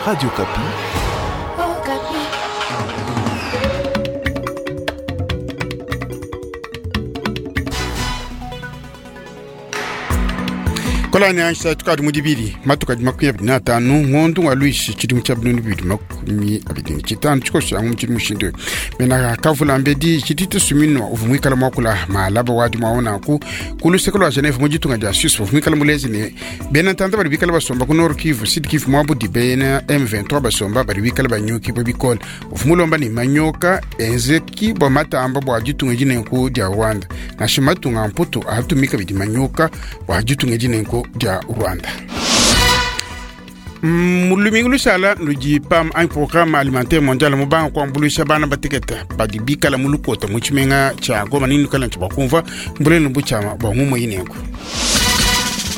Radio Okapi. Okapi. Kolani ansha tukadi mu dibili matuka di 25 ngondu wa luishi tshidimu tshia 2025 tshikoso yangu mutshidi mushindu mena kavula mbedi tshidi tusuminwa uvu mwikala mwakula malaba wadi mwaonaku ku luseke lwa Geneve mu ditunga dia Suisse uvu mwikala mulezi ne bena ntanda badi bikala basomba ku Nord Kivu Sud Kivu mwabudi bena M23 basomba badi bikala banyuki bwa bikole uvu mulomba ne manyoka enzeki bwa matamba bwa ditunga dinenku dia Rwanda nashi matunga mputu atumika bidi manyoka bwa ditunga dinenku dia Rwanda. Mulumingu lushala ludi PAM anyi programme alimentaire mondial mubanga kuambuluisha bana batekete badi bikala mu lukota mu tshimenga tshia Goma nini kala ntshi bakumva mbulenu butshiama bua ngumu inenku.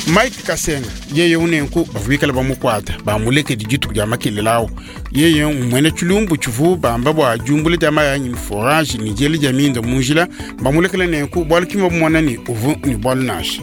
Mike Kasenga yeye unenku bavua bikala bamukuata bamulekedi dituku dia makelela awu yeye mwene tshilumbu tshivu bamba bua diumbula dia mayi anyi forage ni diela dia minda mu njila bamulekela nenku bualu kima bumona ni uvu ni bualu nansha.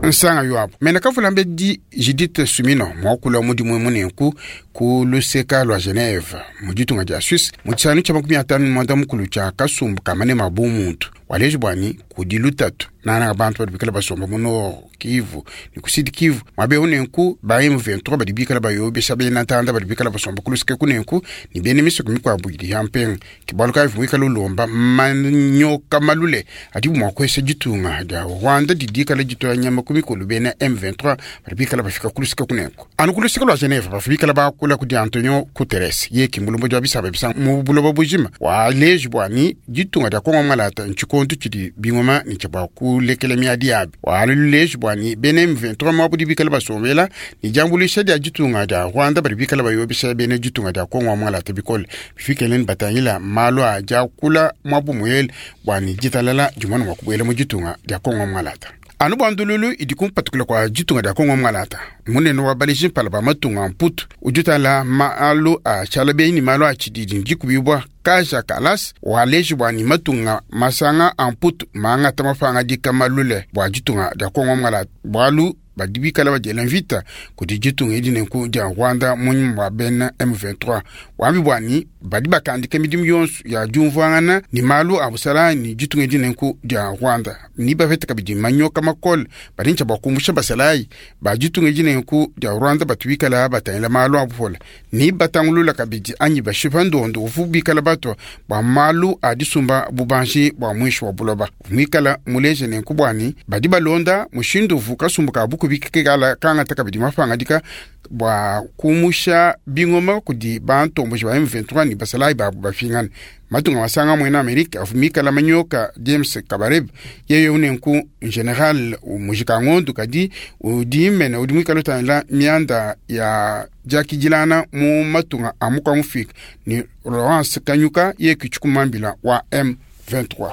Nsanga yuabu mena kavula mbedi Judith Suminwa mwakula mudimu munenku ku luseka lwa Geneve mu ditunga dia Suisse mu tshisanu tshia 59 tshia kasumbu ka manema bu muntu waleji bwani kudi lutatu nana bantu badi bikala basomba mu Nord Kivu ni ku Sud Kivu mwabe unenku ba M23 badi bikala bayobesha bena ntanda badi bikala basomba ku luseke kunenku ni bene misoko mikwabu idi ya mpenga kibalu kayi mwikala ulomba manyoka malule adi mwa kwesa ditunga dia Rwanda didikala ditoya nyama ku mikolo bena M23 badi bikala bafika ku luseke kunenku anu ku luseke lwa Geneve bafika bakula kudi Antonio Guterres ye kimulumbo dya bisaba bisa mu buloba bujima waleji bwani ditunga dia Kongo malata ntshikondu tshidi bingoma ni tshia kulekela miadi yabi waluleji bwani bene M23 mwabudi bikala basombela ni diambuluisha dia ditunga dia Rwanda badi bikala bayobesha bene ditunga dia Kongo malata bikole bifikeleni batangila malu a diakula mwabu muyele bwani ditalala dimwana mwa kubuela mu ditunga dia Kongo malata anu bua ndululu idi kumpatukila kua ditunga dia Kongo mwalata munene wa baleji mpala ba matunga mputu udi utala malu a tshiala benyi ni malu a tshididi ndikubibua Kaja Kallas waleji bua ni matunga masanga a mputu mangata mapanga dika malule bua ditunga dia Kongo mwalata bualu badi bikala badiela mvita kudi ditunga edi nenku dia Rwanda munyima bua bena M23 wambi bwani badi bakandika midimu yonso ya diumvuangana ni malu a busala ni ditunga edi nenku dia Rwanda ni bapeta kabidi manyoka makole badi ntshia bua kumbusha basalayi ba ditunga edi nenku dia Rwanda batu bikala batangila malu a bupola ni batangulula kabidi anyi bashipa ndondo uvu bikala batwa bua malu a disumba bubanji bua mwishi wa buloba mwikala muleje nenku bwani badi balonda mushindu uvu kasumbu ka buku bikala kangata kabidi mapangadika bua kumusha bingoma kudi bantomboji ba M23 ni basalayi babu bafingana matunga masanga mwena Amerika avumikala manyoka James Kabarebe yeye unenku general mujika ngondu kadi udi mene udi mwikala utangila mianda ya diakidilana mu matunga a mukwa mufika ni Laurence Kanyuka ye kichukumambila wa M23.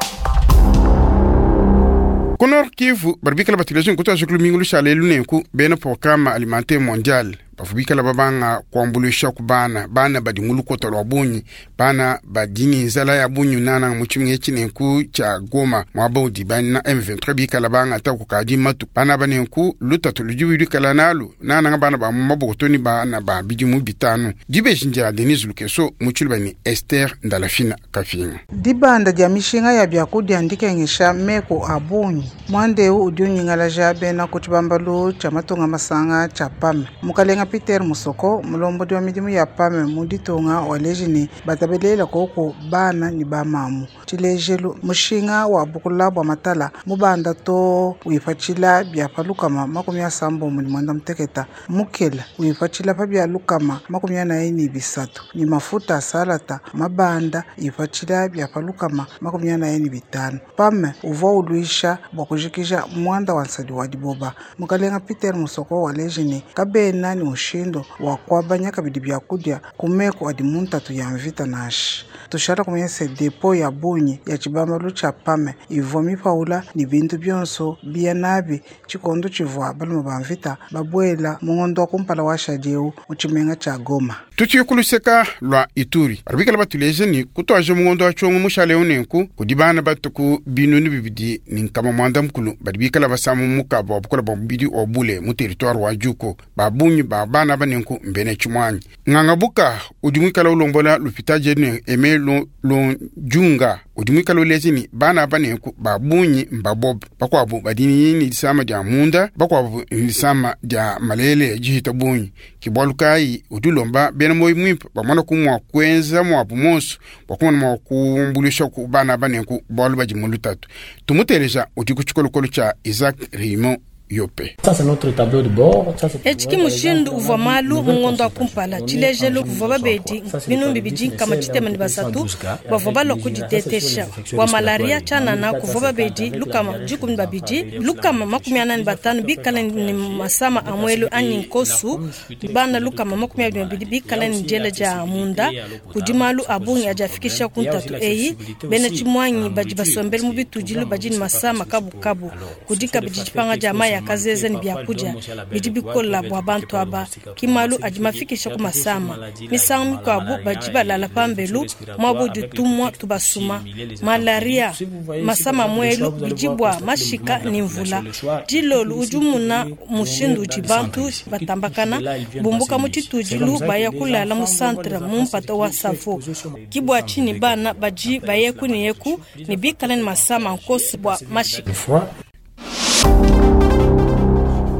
Ku Nord Kivu badi bikala batileje nkutu ajikulu mingu lushala elu nenku bena programme alimentaire mondial bavua bikala babanga kuambuluisha ku bana bana badi mu lukota lua bungi bana badi ni nzala ya bungi nana mu tshimenga etshi nenku tshia Goma muaba udi bana M23 bikala bangata kukadi matu bana ba nenku lutatu ludi luikala nalu nananga bana ba mu maboko to ni bana ba bidimu bitanu dibeji ndia Denise Lukeso mu tshiluba ni Esther Ndalafina Kafinga. Dibanda dia mishinga ya biakudia ndikengesha meko a bungi mwandeu udi unyingalaja bena ku tshibambalu tshia matunga masanga tshia PAM mukalenga Peter Musoko mulombodi wa midimu ya PAM mu ditunga waleji ne batabelela koko bana ni bamamu tshilejelu mushinga wa bukula bua matala mubanda to wipatshila bia pa lukama 78 mukela wipatshila pa bia lukama 43 ni mafuta a salata mabanda ipatshila bia pa lukama 45 PAM uvua uluisha bua kujikija mwanda wa nsadi wa diboba mukalenga Peter Musoko waleji ne kabena ni mushindu wa kuabanya kabidi biakudia ku meko adi mu ntatu ya mvita nansha tushala kumanya se depo ya bungi ya tshibambalu tshia PAM ivua mipaula ni bintu bionso bia nabi tshikondo tshivua balume ba mvita babuela mu ngondo wa kumpala wa shadi eu mu tshimenga tshia Goma. Tutuye ku luseka lua Ituri, badi bikala batuleja ne kutuaja mu ngondo wa Tshiongo mushale eu nenku kudi bana batue ku 2190 badi bikala basama mukaba wa bukole bua mubidi wa bule mu territoire wa Djuko. Ba bungi ba bana aba nenku mbena tshimuangi. Nganga buka udi muikala ulombola lupitadi ne Aime Lonjunga udi muikala uleja ne bana aba nenku ba bungi mbabobe, bakuabu badi ne disama dia munda, bakuabu ne disama dia malele dihita bungi. Ke bualu kayi udi ulomba bena muoyo muimpe bamona ku mua kuenza muabu monso bua kumona mua kuambuluisha ku bana aba nenku bualu badi mu lutatu. Tumuteleja udi ku tshikolokolo tshia Isaac Raymond Yope. Etshi ki mushindu uvua malu mu ngondo wa kumpala. Tshilejelu, kuvua babedi 2303 bavua balua kuditetesha bua malaria. Tshianana, kuvua babedi 112 145 bikale ne masama a muelu anyi nkosu, bana 122 bikale ne diela dia munda. Kudi malu a bungi adi afikisha ku ntatu eyi. Bena tshimuangi badi basombele mu bitudilu badi ne masama kabukabu. Kudi kabidi dipanga dia mayi a kazeza ne biakudia bidi bikola bua bantu aba. Ki malu adi mafikisha ku masama. Misangu mikuabu badi balala pambelu muaba udi tumua tubasuma. Malaria, masama a muelu bidi bua mashika ne mvula. Dilolu udi umuna mushindu udi bantu batambakana bumbuka mu tshitudilu baya kulala mu centre mu mpata wa Savo. Ki bua tshinyi bana badi bayeku ne yeku ne bikale ne masama nkosu bua mashika.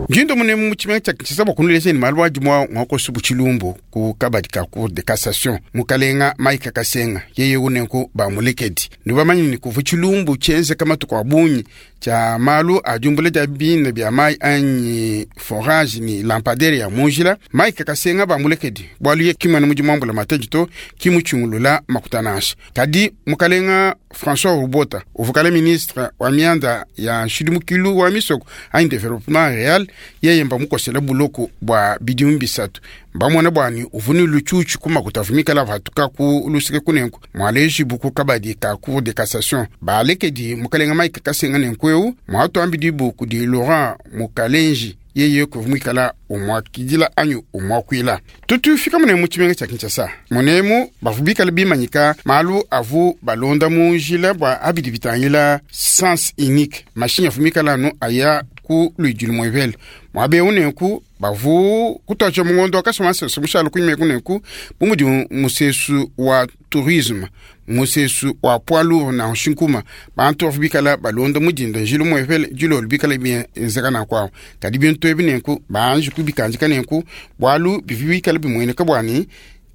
Njindo munemu mu tshimenga tshia Kinshasa bua kunuleja ne malu adi mua muakosu bu tshilumbu ku kabadi ka Cour de cassation. Mukalenga Mike Kasenga yeye unenku bamulekedi. Nubamanye ne kuvua tshilumbu tshienzeka matuku a bungi tshia malu a diumbula dia bina bia mayi anyi forage ne lampadaire ya mu njila. Mike Kasenga bamulekedi bualu ye ki muena mudimu wa mbulamatadi to, ki mutshingulula makuta nansha. Kadi mukalenga François Rubota uvua kale ministre wa mianda ya nshidimukilu wa misoko anyi developement real, yeye mbamukosela buloko bua bidimu bisatu. Mbamona bua ne uvua ne lutshutshu ku makuta avua mikale avatuka ku luseke kunenku mualejibu ku kabadi ka Cour de cassation. Balekedi mukalenga Mike Kasenga nenku eu muatuambidibu kudi Laurent Mukalenji yeye kuvua muikala umuakidila anyi umuakuila. Tutufika munemu mu tshimenga tshia Kinshasa. Munemu bavua bikale bimanyika malu avu balonda mu njila bua abidi bitangila sens unique. Mashinyi avua mikale anu aya ku luidi lumuepele. Muaba eu nenku bavu kutuaja mu ngondo wa Kasumba-Nsese mushale kunyima eku nenku bu mudi musesu wa tourisme, musesu wa poids lourd na nshinkuma, bantu bavua bikala balonda mudinda njila umuepele dilolo bikala bienzeka nanku awu. Kadi bintu ebi nenku banji kubikandika nenku bualu bivua bikala bimueneka bua ne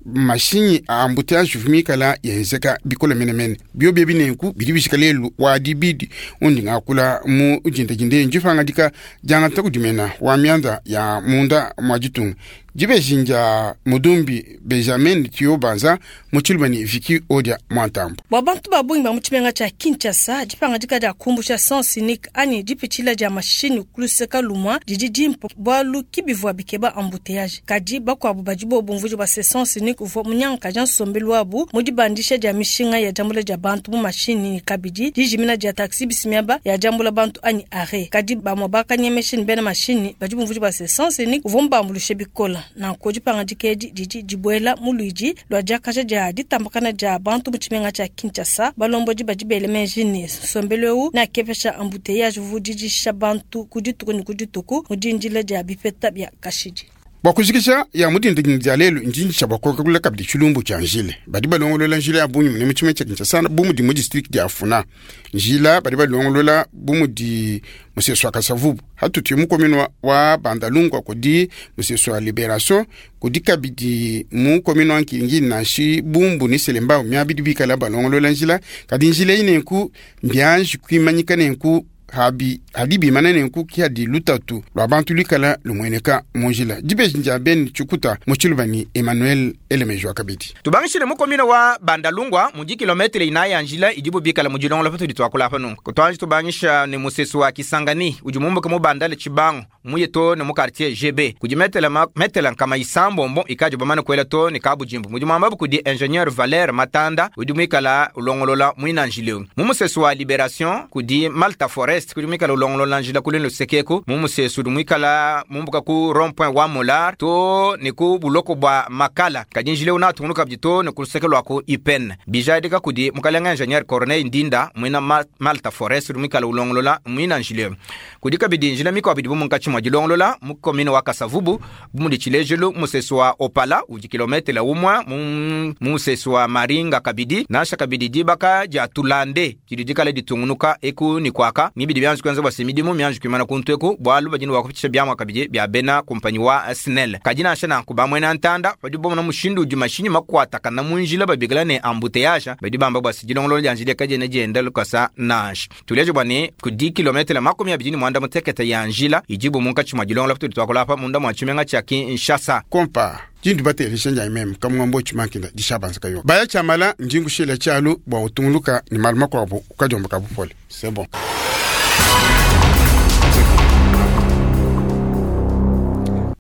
mashinyi a embouteillage bivua mikala yenzeka bikole menemene. Biobi ebi nenku bidi bijika lelu wa dibidi undi ngakula mu dindadinda ndipangadika diangata kudi mena wa mianda ya munda mwa ditunga. Dibeji ndia Mudumbi Benjamin Tio Banza mu tshiluba ne Vicky Odia Mwantambo. Bua bantu ba bungi ba mu tshimenga tshia Kinshasa, dipangadika dia kumbusha sens unique anyi dipitshila dia mashinyi ku luseka lumua didi dimpe bualu ki bivua bikeba embouteillage. Kadi bakuabu badi bo bumvuija bua se sens unique uvua munyangakaja nsombelu wabu mu dibandisha dia mishinga ya diambula dia bantu mu mashinyi ne kabidi dijimina dia taxi bus miaba ya diambula bantu anyi arrêt. Kadi bamue bakanyemesha ne bena mashinyi badi bumvuija bua se sens unique uvua mubambuluishe bikole. Nanku dipangadika edi didi dibuela mu luidi lua diakaja dia ditambakana dia bantu mu tshimenga tshia Kinshasa. Balombodi badi bele meji ne nsombelu eu neakepesha embouteillage uvua udidisha bantu ku dituku ne ku dituku mu dindila dia bipeta bia kashidi. Bua kujikija ya mu dindadinda dia lelu ndinjisha bua kuakula kabidi tshilumbu tshia njila. Badi balongolola njila ya bungi mu tshimenga tshia Kinshasa bu mudi mu district dia Funa. Njila badi balongolola bu mudi musesu wa Kasavubu hatuti mu commune wa Bandalungwa kudi musesu wa Liberation, kudi kabidi mu commune wa Nkingi nashi Bumbu ne Selembao miabidi bikala balongolola njila. Kadi njila eyi nenku mbianji kuimanyika nenku habi hadi bimana nenku ki hadi lutatu lua bantu luikala lumueneka mu njila. Dibeji ndia Ben Tshikuta mu tshiluba ni Emmanuel Elemejwa kabidi. Tubangishile mu commune wa Bandalungwa mu dikilometre inayi ya njila idibu bikala mu dilongola patudi tuakula apa nunku. Kutuanji tubangisha ne musesu wa Kisangani udi mumbuka mu Bandale Tshibangu muye to ne mu quartier GB kudi metela nkama isambombo ikadi bamane kuela to ne Kabujimbu mudi muambabu kudi ingénieur Valère Matanda udi muikala ulongolola muina njila eu. Mu musesu wa Liberation kudi Malta Forest. Forest kudi muikala ulongolola njila ku luine luseke eku mu musesu udi muikala mumbuka ku rond point wa Molar to ne ku buloko bua Makala. Kadi njila eu neatungunuka kabidi to ne ku luseke lua ku UPN. Bijadika kudi mukalenga ingenieur Corneille Ndinda muena Malta Forest udi muikala ulongolola muina njila eu. Kudi kabidi njila mikuabu idibu munkatshi mua dilongolola mu commune wa Kasavubu, bu mudi tshilejilu musesu wa Opala udi kilometele umue mu musesu wa Maringa kabidi, nansha kabidi dibaka dia Tulande didi dikale ditungunuka eku ne kuaka ne bidi bianji kuenza bua se midimu mianji kuimana kuntu eku, bualu badi ne bua kupitshisha biamua kabidi bia bena kumpanyi wa SNEL. Kadi nansha nanku bamuena ntanda badi bamona mushindu udi mashinyi makuatakana mu njila babikila ne embouteillage, badi bamba bua se dilongolola dia njila kadiena dienda lukasa nansha. Tuleje bua ne kudi kilometele 28 ya njila idibu munkatshi mua dilongolola patudi tuakula apa munda mua tshimenga tshia Kinshasa. Kompa dindu batelesha njanyi meme kamungombo tshimankenda dishabanza kayo baya tshiamala ndingushila tshialu bua utunguluka ne malu makuabu ukadiomba kabupole. C'est bon.